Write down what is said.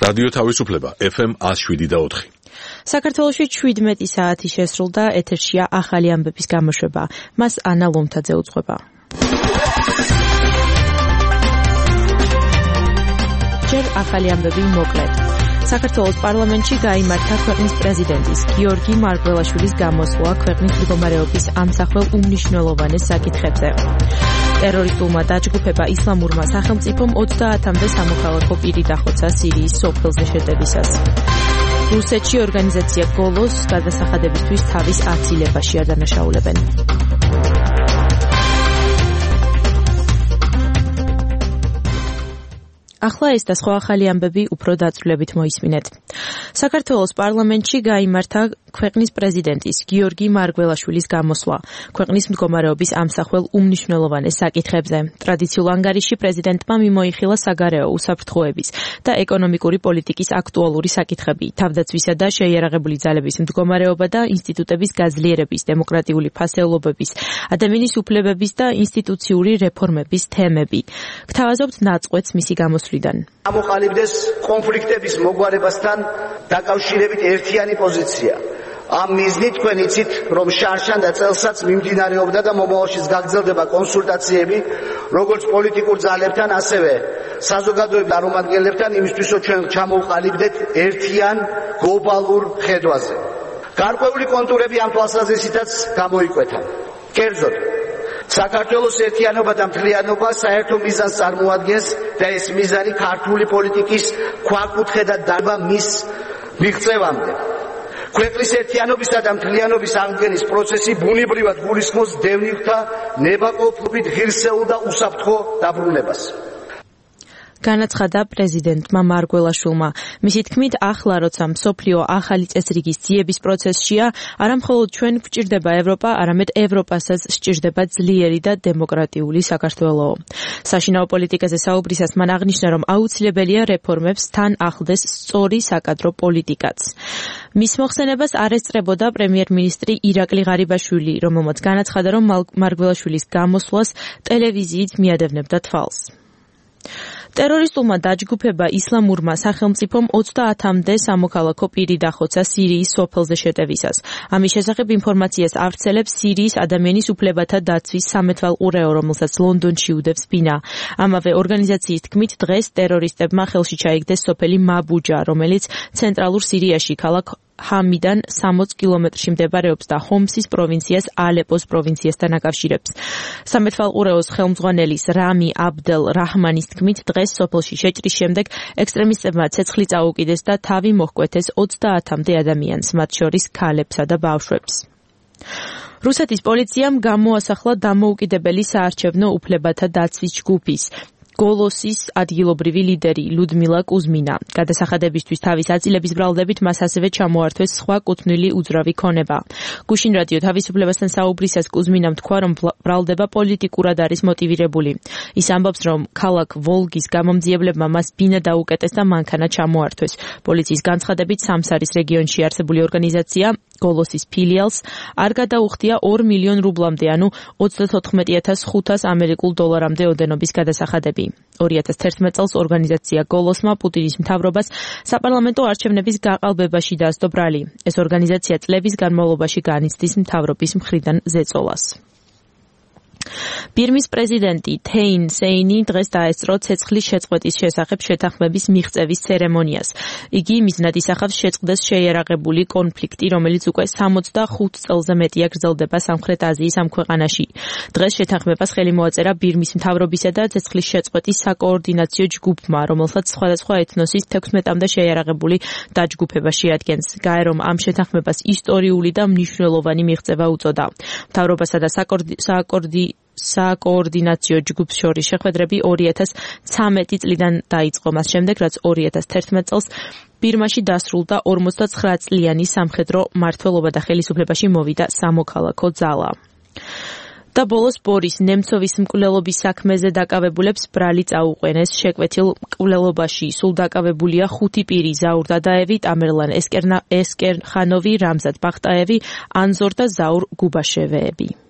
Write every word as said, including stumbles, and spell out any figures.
რადიო თავისუფლება ეფ ემ ათს შვიდი და ოთხი. საქართველოში შვიდმეტი საათი შესრულდა, ეთერშია ახალი ამბების გამოშვება. მას ანა ლომთაძე უძღვება. ჯერ ახალი ამბები მოკლედ. საქართველოს პარლამენტში გაიმართა ქვეყნის პრეზიდენტის გიორგი მარგველაშვილის გამოსვლა ქვეყნის მდგომარეობის ამსახველ უმნიშვნელოვანეს საკითხებზე. ტერორისტულმა დაჯგუფება ისლამურმა სახელმწიფომ ოცდაათამდე სამოქალაქო პირი დახოცა სირიის სოფელზე შეტევისას. რუსეთში ორგანიზაცია გოლოს გადასახადებისთვის თავის აცილებაში ადანაშაულებენ. ახლა ეს და სხვა ახალი ამბები უფრო დაწვრილებით მოისმინეთ. საქართველოს პარლამენტში გაიმართა ქვეყნის პრეზიდენტის გიორგი მარგველაშვილის გამოსვლა ქვეყნის მდგომარეობის ამსახველ უმნიშვნელოვანეს საკითხებზე. ტრადიციულ ანგარიში პრეზიდენტმა მიმოიხილა საგარეო უსაფრთხოების და ეკონომიკური პოლიტიკის აქტუალური საკითხები, თავდაცვისა და შეიარაღებული ძალების მდგომარეობა და ინსტიტუტების გაძლიერების, დემოკრატიული ფასეულობების, ადამიანის უფლებების და ინსტიტუციური რეფორმების თემები. გთავაზობთ ნაწყვეტს მისი გამოსვლიდან. ამოყალიბდეს კონფლიქტების მოგვარებასთან დაკავშირებით ერთიანი პოზიცია. ამ მიზნით თქვენ იცით, რომ შარშან და წელსაც მიმდინარეობდა და მომავალშიც გაგრძელდება კონსულტაციები როგორც პოლიტიკურ ძალებთან, ასევე საზოგადოების წარმომადგენლებთან იმისთვის, რომ ჩვენ ჩამოვყალიბდეთ ერთიან გლობალურ ხედვაზე. გარკვეული კონტურები ამ თვალსაზრისითაც გამოიკვეთა. კერძოდ, საქართველოს ერთიანობა და მთლიანობა საერთო მიზანს წარმოადგენს და ეს მიზანი ქართული პოლიტიკის ქვაკუთხედად დავა მის მიღწევამდე. ქვეყნის ერთიანობისა და მთლიანობის აღდგენის პროცესი ბუნებრივად გულისხმობს დევნილთა ნებაყოფლობით ღირსეულ და უსაფრთხო დაბრუნებას. განაცხადა პრეზიდენტმა მარგველაშვილმა. მისი თქმით, ახლა როცა მსოფლიო ახალი წესრიგის ძიების პროცესშია, არა მხოლოდ ჩვენ გვჭირდება ევროპა, არამედ ევროპასაც სჭირდება ძლიერი და დემოკრატიული საქართველო. საშინაო პოლიტიკაზე საუბრისას მან აღნიშნა, რომ აუცილებელია რეფორმებს თან ახლდეს სწორი საკადრო პოლიტიკაც. მის მოხსენებას არ ესწრებოდა პრემიერ-მინისტრი ირაკლი ღარიბაშვილი, რომელმაც განაცხადა, რომ მარგველაშვილის გამოსვლას ტელევიზიით მიადევნებდა თვალს. ტერორისტულმა დაჯგუფება ისლამურმა სახელმწიფომ ოცდაათამდე სამოქალაქო პირი დახოცა სირიის სოფელზე შეტევისას. ამის შესახებ ინფორმაციას ავრცელებს სირიის ადამიანის უფლებათა დაცვის სამეთვალყურეო, რომელსაც ლონდონში უდევს ბინა. ამავე ორგანიზაციის თქმით, დღეს ტერორისტებმა ხელში ჩაიგდეს სოფელი მაბუჯა, რომელიც ცენტრალურ სირიაში ქალაქ ჰამიდან სამოც კილომეტრში მდებარეობს და ჰომსის პროვინციას ალეპოს პროვინციასთან აკავშირებს. სამეთვალყურეოს ხელმძღვანელის რამი აბდელ რაჰმანის თქმით, დღეს სოფელში შეჭრის შემდეგ ექსტრემისტებმა ცეცხლი წაუკიდეს და თავი მოჰკვეთეს ოცდაათამდე ადამიანს, მათ შორის ქალებსა და ბავშვებს. რუსეთის პოლიციამ გამოასახლა დამოუკიდებელი საარჩევნო უფლებათა დაცვის ჯგუფის გოლოსის ადგილობრივი ლიდერი ლუდმილა კუზმინა. გადასახადებისთვის თავის აწილების ბრალდებით მას ასევე ჩამოართვეს სხვა კუთვნილი უძრავი ქონება. გუშინ რადიო თავისუფლებასთან საუბრისას კუზმინამ თქვა, რომ ბრალდება პოლიტიკურად არის მოტივირებული. ის ამბობს, რომ ქალაქ ვოლგის გამომძიებლებმა მას ბინა დაუკეტეს და მანქანა ჩამოართვეს. პოლიციის განცხადებით, სამსარის რეგიონში არსებული ორგანიზაცია გოლოსის ფილიალს არ გადაუხდია ორ მილიონ რუბლამდე, ანუ ოცდათოთხმეტი ათას ხუთას ამერიკულ დოლარამდე ოდენობის გადასახადები. ორი ათას თერთმეტ წელს ორგანიზაცია გოლოსმა პუტინის მთავრობას საპარლამენტო არჩევნების გაყალბებაში დასდო ბრალი. ეს ორგანიზაცია წლების განმავლობაში განიცდის მთავრობის მხრიდან ზეწოლას. ბირმის პრეზიდენტი თეინ სეინი დღეს დაესწრო ცეცხლის შეწყვეტის შესახებ შეთანხმების მიღწევის ცერემონიას. იგი მიზნად ისახავს შეწყდეს შეიარაღებული კონფლიქტი, რომელიც უკვე სამოცდახუთ წელზე მეტია გრძელდება სამხრეთ აზიის ამ ქვეყანაში. დღეს შეთანხმებას ხელი მოაწერა ბირმის მთავრობისა და ცეცხლის შეწყვეტის საკოორდინაციო ჯგუფმა, რომელსაც სხვადასხვა ეთნოსის თექვსმეტამდე შეიარაღებული დაჯგუფება შეადგენს. გაერომ ამ შეთანხმებას ისტორიული და მნიშვნელოვანი მიღწევა უწოდა. მთავრობასა და საკოორდი საკოორდინაციო ჯგუფს შორის შეხვედრები ორი ათას ცხრამეტი წლიდან დაიწყო, მას შემდეგ, რაც ორი ათას თერთმეტ წელს ბირმაში დასრულდა ორმოცდაცხრა წლიანი სამხედრო მმართველობა და ხელისუფლებაში მოვიდა სამოქალაქო ძალა. და ბოლოს ბორის ნემცოვის მკვლელობის საქმეზე დაკავებულებს ბრალი წაუყვენეს. შეკვეთილ მკვლელობაში სულ დაკავებულია ხუთი პირი: ზაურ დადაევი, ტამერლან ესკერხანოვი, რამზად ბახტაევი, ანზორ და ზაურ გუბაშევეები.